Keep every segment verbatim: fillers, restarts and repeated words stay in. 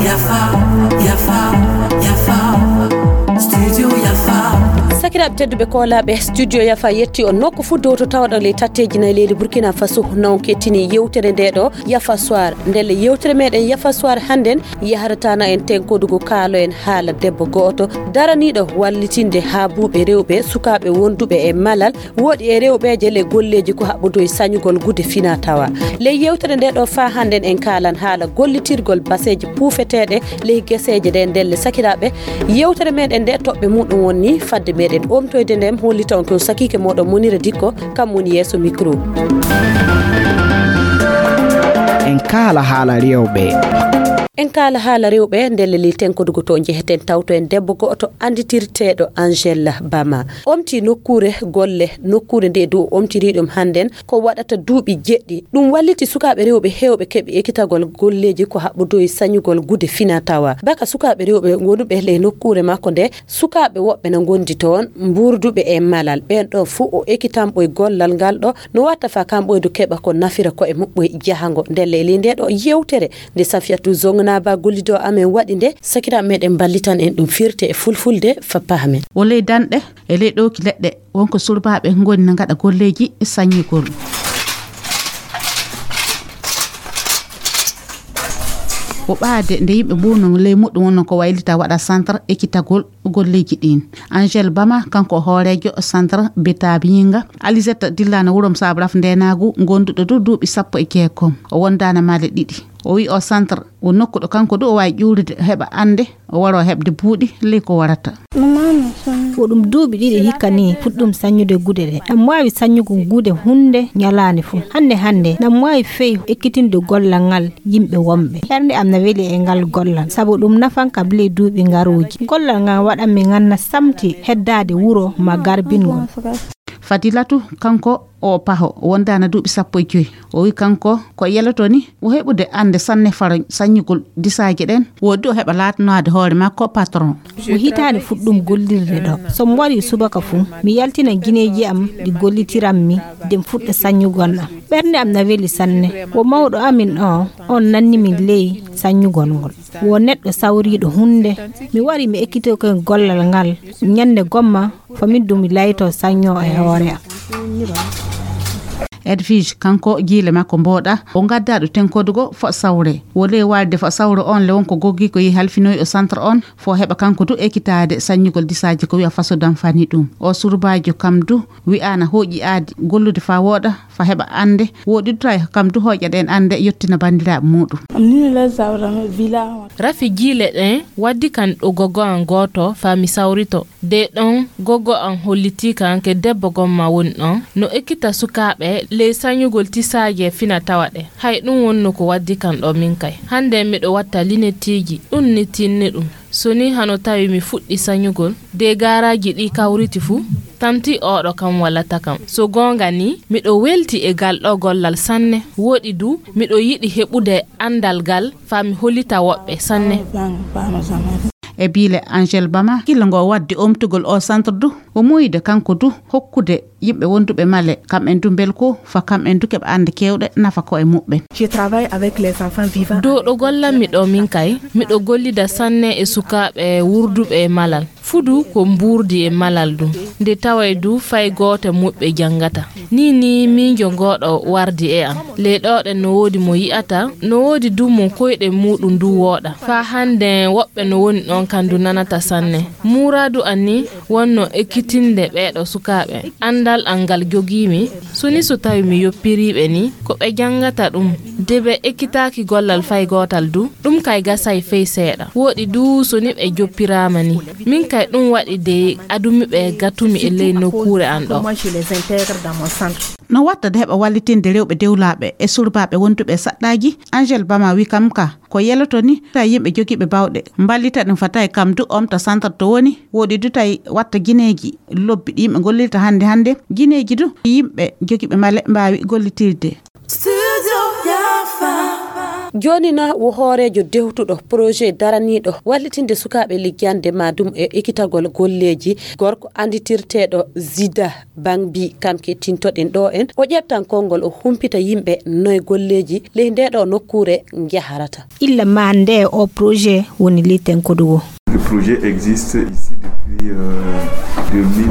Yafa, yafa, yafa. Studio yafa. Sakiraaɓe tedduɓe koolaaɓe, studio yafa yetti on nokku fuu dow to tawaɗon ley tatteeji nayi leydi Burkina Faso. Non kettini yewtere nde ɗo, Yafa Soir. Ndelle yewtere meɗen Yafa Soir hannden yaharatana en tenkodugo kaalo en haala debbo go'oto daraniiɗo wallitinde haa buuɓe rewɓe sukaaɓe wonduɓe e malal, woɗi e rewɓeeje le golleeji ko haɓɓodoyi sañugol gude fina tawa. Ley yewtere nde ɗo faa hannden en kaalan haala gollitirgol baseeji puufeteeɗe ley geseeje ɗe. Ndelle sakiraaɓe, yewtere meɗen nde toɓɓe muɗum wonni fadde meɗen omtoyde nde hollita on ko sakiike moɗon Munira Dikko, kam woni yeeso micro. En kaala haala rewɓe. En kaala haala rewɓe, ndelle ley tenkodugo to njeheten tawto en debbo go'oto annditirteeɗo Angel Bama. Omti nokkuure golle, nokkuure nde dow omtiri ɗum hannden ko waɗata duuɓi jeɗɗi. Ɗum walliti sukaaɓe rewɓe heewɓe keɓi ekitagol golleeji ko haɓɓodoyi sañugol gude fina tawa. Baka sukaaɓe rewɓe wonuɓe ley nokkuure makko nde, sukaaɓe woɓɓe na ngondi toon, mbuurduɓe e malal. Ɓeen ɗo fuu o ekitanɓoy gollal ngal ɗo, no watta faa kamɓoy du keɓa ko nafira ko'e muɓɓoy jahango. Ndelle ley nde ɗo yewtere nde Safiyatu Zongnaba gollido amen waɗi nde, sakiraaɓe meɗen mballitan en ɗum firte e fulfulde faa pahamen. O ley danɗe, e ley ɗowki leɗɗe, wonko surbaaɓe ngoni na ngaɗa golleeji saññigol. O ɓaade nde yimɓe mbuuno ley muɗum wonno ko waylita waɗa centre ekitagol golleeji ɗin. Angel Bama, kanko o hooreejo centre Beta Biyinga. Alizette dillana wurom saabu raf ndenaagu, gonduɗo du duuɓi sappo e jeegom. O wondaana maale ɗiɗi. O wi o centre o nokku ɗo kanko du o waawi ƴuurude, heɓa annde, o waro heɓde buuɗi ley ko warata. Ko ɗum duuɓi ɗiɗi hikka ni puɗɗum saññude gude ɗe. Ɗam waawi saññugo gude hunde ñalaande fof. Hannde hannde, ɗam waawi fey ekkitinde gollal ngal yimɓe wonɓe. Ɓernde am na weli e ngal gollal, sabu ɗum nafan kam ley duuɓi ngarooji. Gollal ngal waɗan mi nganna samti heddaade wuro ma garbingol. Fadilatu, kanko o paho, wondaana duuɓi sappo e joy. O wi kanko ko yeloto ni o heɓude annde sanne faro saññugol disaaje ɗen, woodi o heɓa laatanaade hoore makko patron. Ko hitaande fuɗɗum gollirde ɗo. So mi warii subaka fuu, mi yaltina gineeji am ɗi gollitiran mi, de mi fuɗɗa saññugol am. Ɓernde am na weli sanne. Wo mawɗo amin o, on nanni min ley saññugol ngol. Wo neɗɗo sawriiɗo huunde. Mi warii mi ekkitoke gollal ngal. Ñannde gomma, fami ɗum mi layto sañño e hoore am. Edwige, kanko jiile makko mbooɗa, o ngaddaaɗo tenkodugo fo sawre. Wo ley waalde fo sawre on le wonko goggi ko yehi halfinoyi o centre on, fo heɓa kanko du ekitaade saññugol disaaji ko wi'a faso damfani ɗum. O surbaajo kam du wi'aana hooƴi aadi gollude faa wooɗa, faa heɓa annde, woɗi du tawi kam du hooƴa ɗen annde yottina banndiraaɓe muuɗum. Rafi jiile ɗen waddi kan ɗo gogo an gooto faa mi sawrito. De ɗon gogo an hollitii kan ke debbo gomma woni ɗon, no ekkita sukaaɓe ley sañugol tisaaje fina tawa ɗe. Hay ɗum wonno ko waddi kan ɗo min kay. Hannde miɗo watta linettiiji, ɗum ni tinni ɗum. So ni hano tawi mi fuɗɗi sañugol, de gaaraaji ɗi kawriti fuu, tamti oɗo kam wallata kam. So goonga ni, miɗo welti e gal ɗo gollal sanne. Woɗi du, miɗo yiɗi heɓude anndal gal faa mi hollita woɓɓe sanne. E biile Angel Bama, gila ngo waddi omtugol o centre du, o muuyde kanko du hokkude yimɓe wonduɓe male, kam en du mbelko, faa kam en du keɓa annde keewɗe nafa ko e muɓɓen. Je travaille avec les enfants vivants. Dow ɗo gollanmi ɗo min kay, miɗo gollida sanne e sukaaɓe wurduɓe e malal. Fudu ko mbuurdi e malal ɗum. Nde taway du fay gooto muɓɓe janngata. Nii nii miijo ngooɗo wardi e am. Ley ɗooɗen no woodi mo yi'ata, no woodi du mo koyɗe muuɗum du wooɗa. Faa hannde woɓɓe no woni ɗon kam du nanata sanne. Muuraadu an ni wonno ekkitinde ɓeeɗo sukaaɓe. Anndal an ngal jogiimi, so ni so tawi mi yoppiriiɓe ni, ko ɓe janngata ɗum. De ɓe ekkitaaki gollal fay gootal du, ɗum kay gasay fey seeɗa. Wooɗi du so ni ɓe joppiraama ni. Min kay ɗum waɗi de adumi ɓe gatumi e ley nokkuure an ɗo. No watta de heɓa wallitinde rewɓe dewlaaɓe e surbaaɓe wonduɓe e saɗɗaaji, Angel Bama wi kam ka ko yeloto ni tawi yimɓe jogiiɓe bawɗe mballita ɗum fa tawi kam du omta centre to woni, woɗi du tawi watta gineeji lobbi ɗi yimɓe gollirta hannde hannde, gineeji du yimɓe jogiiɓe male mbaawi gollitirde. Studio Yafa. Jooni na wo hooreejo dewtuɗo projet daraniiɗo wallitinde sukaaɓe liggande ma ɗum e ekitagol golleeji, gorko annditirteeɗo Zida Bangbi, kam kettintoɗen ɗo en. O ƴeftan konngol, o humpita yimɓe noy golleeji ley nde ɗo nokkuure njaharata. Illa ma nde o projet woni liten kodugo. Le projet existe ici depuis euh, deux mille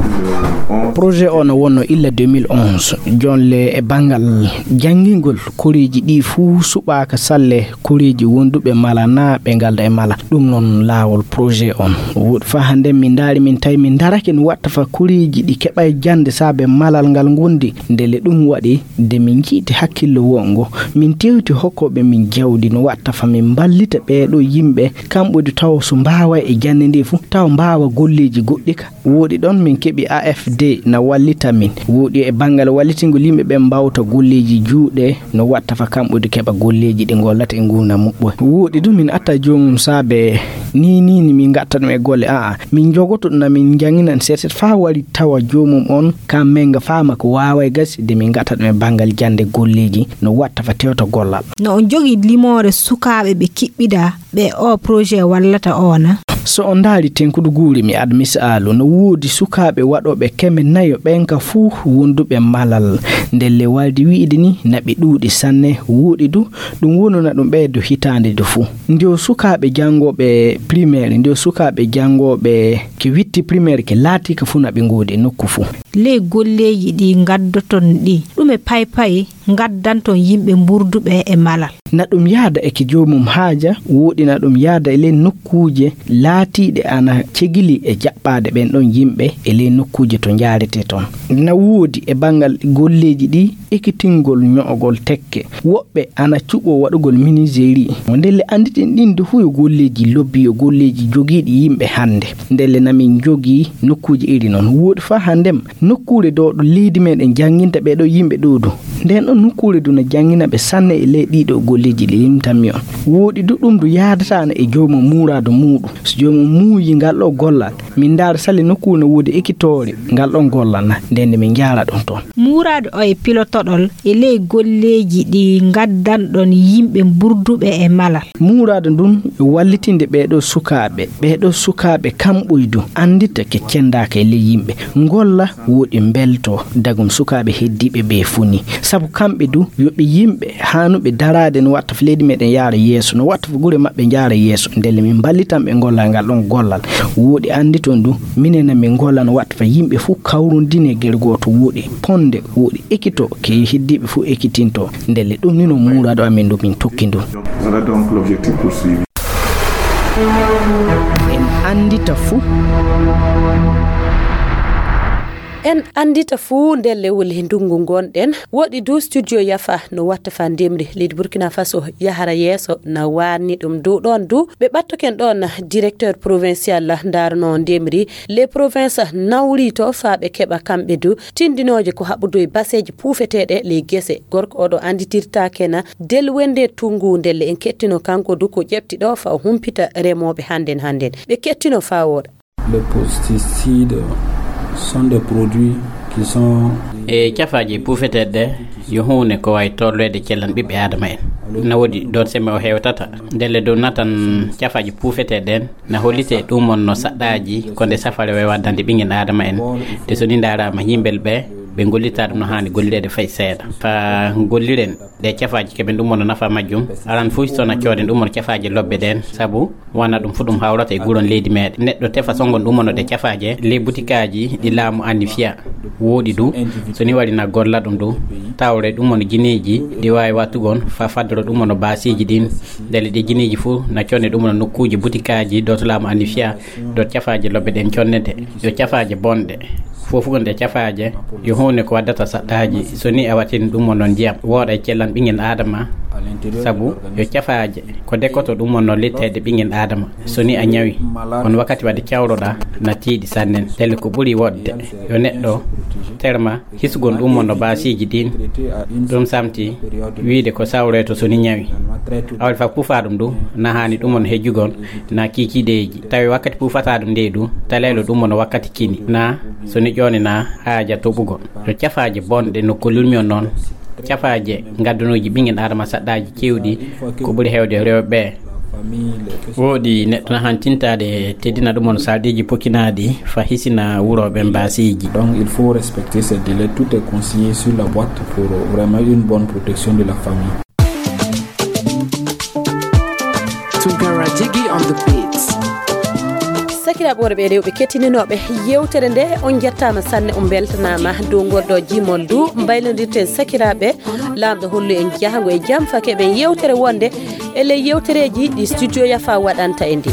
onze. Projet o no wonno illa deux mille onze. Jonle e banngal janngingol koreeji ɗi fuu suɓaaka salle koreeji wonduɓe mala na ɓe ngalda e mala. Ɗum noon laawol projet on. Woɗi fa hannde min ndaari, min tawi min darake no watta fa koreeji ɗi keɓa e jannde saabe malal ngal ngondi. Ndele ɗum waɗi de min njiiti hakkillo wongo. Min tewti hokkooɓe min jawdi no watta fa min mballita ɓeeɗo yimɓe kamɓe du taw so mbaawa e jannde nde fuu taw mbaawa golleeji goɗɗi ka. Woɗi ɗon min keɓi A F D na wallita min. Woɗi e banngal wallitingol yimɓe ɓen mbawta golleeji juuɗe no watta fa kamɓe du keɓa golleeji ɗi ngollata e nguurndam muɓɓo. Woɗi du min atta joomum saabe ni ni ni min ngatta ɗum e golle. A'a, min jogoto ɗum na min janginan seeset fa wari tawa joomum on ka menga faama ko waawa e gasi de min ngatta ɗum e banngal jannde golleeji no watta fa tewta gollal. No on jogi limoore sukaaɓe ɓe kiɓɓida ɓe o projet wallata o na? So on ndaari tenkudu guuri mi ad misaalu no woodi sukaaɓe waɗooɓe keme nayo ɓen ka fuu wonduɓe malal. Ndelle waldi wi'idi ni na ɓe ɗuuɗi sanne. Woodi du ɗum wonuna ɗum ɓeydo hitaande du fuu. Nde o sukaaɓe janngooɓe primaire, nde o sukaaɓe janngooɓe ke witti primaire ke laati ka fuu na ɓe ngoodi e nokku fuu. Ley golleeji ɗi ngaddoton ɗi, ɗume paypay ngaddanton yimɓe mburduɓe e malal? Na ɗum yaada e ke joomum haaja, woɗi na ɗum yaada e ley nokkuuje laatiiɗe ana cegili e jaɓɓaade ɓen ɗon yimɓe e ley nokkuuje to njaarete ton. Na woodi e banngal golleeji ɗi ekitingol ño'ogol tekke. Woɓɓe ana cuɓoo waɗugol menuiserie. Ndelle annditen ɗin du fuu yo golleeji lobbi, yo golleeji jogiiɗi yimɓe hannde. Ndelle na min njogii nokkuuje iri non. Woɗi fa hanndem nokkuure ɗo ɗo leydi meɗen jannginta ɓee ɗo yimɓe ɗo du. Nden ɗon nokkuure du na janngina ɓe sanne e ley ɗii ɗo golleeji ɗi limtanmi on. Woɗi du ɗum du yaadataana e joomum muuraado muuɗum. So joomum muuyi ngal ɗo gollal, min ndaara sali nokkuure no woodi ekitoore ngal ɗon gollal na, nden nde min njaara ɗum toon. Muuraado o e pilotoɗol e ley golleeji ɗi ngaddanɗon yimɓe mburduɓe e malal. Muuraado ndun e wallitinde ɓee ɗo sukaaɓe. Ɓee ɗo sukaaɓe kamɓoy du anndita ke cenndaaka e ley yimɓe. Ngolla woɗi mbelto dagum sukaaɓe heddiiɓe ɓe fuu ni. Sabu kamɓe du yo ɓe yimɓe haanuɓe daraade no watta fo leydi meɗen yaara yeeso, no watta fo gure maɓɓe njaara yeeso. Ndelle min mballitan ɓe ngolla ngal ɗon gollal. Woɗi annditon du, minen na min ngolla no watta fo yimɓe fuu kawrondine gere gooto, woɗi ponde, woɗi ekito ke heddiiɓe fuu ekitinto. Ndelle ɗum ni no muuraado amin du min tokki ndu. Voilà donc l'objectif poursuivi. En anndita fuu. En anndita fuu ndelle wuli ndungu ngonɗen. Woɗi du studio Yafa no watta fa ndemri leydi Burkina Faso yahara yeeso na waanni ɗum du ɗon du. Ɓe ɓattoken ɗon directeur provincial ndaarno ndemri. Les provinces nawri to fa ɓe keɓa kamɓe du tindinooje ko haɓudu e baseeji puufeteeɗe ley gese. Gorko oɗo annditirtaake na del wende tungu ndelle en kettino kanko du ko ƴeɓti ɗo fa o humpita remooɓe hannden hannden. Ɓe kettino fa wooɗa. Les pesticides sont des produits qui sont e cafaaji puufeteeɗe ɗe yo huunde ko wawi tolloyde cellan ɓiɓɓe aadama en. Na woodi ɗon sembe o hewtata ndelle dow natan cafaaji puufeteeɗe ɗen. Na hollite ɗum on no saɗɗaaji ko nde safare wawi waddande ɓinngel aadama en. Te so ni ndaaraama yimɓel ɓe ɓe gollita ɗum no haani gollireede fay seeɗa. Fa golliren ɗe cafaaji keɓen ɗum on no nafa majjum. Aran fof so na cooden ɗum on cafaaji lobbe ɗen sabu wana ɗum fof ɗum hawrata e guuron leydi meɗen. Neɗɗo tefa songon ɗum on no ɗe cafaaje ley butikaaji ɗi laamu annifiya. Woɗi du so ni wari na golla ɗum du tawre ɗum on gineeji ɗi wawi wattugon fa faddoro ɗum on no baasiiji ɗin. Ndelle ɗi gineeji fof na conde ɗum on no nokkuuji butikaaji dow to laamu annifiya dow cafaaje lobbe ɗen connete yo cafaaje bonɗe. Fof fof nde cafaaje yo huunde ko waddata saɗɗaaji. So ni a watin ɗum on noon ndiyam wooɗa e cellan ɓinngel aadama. Sabu yo cafaaje ko dekkoto ɗum on noon litteede ɓinngel aadama. So ni a ñawi on wakkati wadde cawroɗa na tiiɗi sannen. Ndelle ko ɓuri wodde yo neɗɗo terma hisugol ɗum on no baasiiji ɗin. Ɗum samti wiide ko sawroyto so ni ñawi. Awde fa puufa ɗum du na haani ɗum on hejjugol na kiikiideeji. Tawi wakkati puufata ɗum nde du talaylo ɗum on wakkati kini na so ni ƴoone na haaja toɓugol. Yo cafaaje bonɗe no kollirmi on noon Cafaaje ngaddanooji ɓinngel aadama saɗɗaaji keewɗi ko ɓuri heewde rewɓe. Woodi neɗɗo na hantintaade teddina ɗum on sarɗiiji pokinaaɗi fa hisina wurooɓe mbaasiiji. Donc il faut respecter ces délais. Tout est consigné sur la boîte pour vraiment une bonne protection de la famille. Tunkara Jiggy on the beats. Sakiraaɓe worɓe e rewɓe kettininooɓe yewtere nde, on njettaama sanne, on mbeltanaama dow ngol ɗo jimol du. Mbaylodirten sakiraaɓe, laamɗo hollu en jahango e jam fa keɓen yewtere wonde e ley yewtereeji ɗi studio yafa waɗanta e ndi.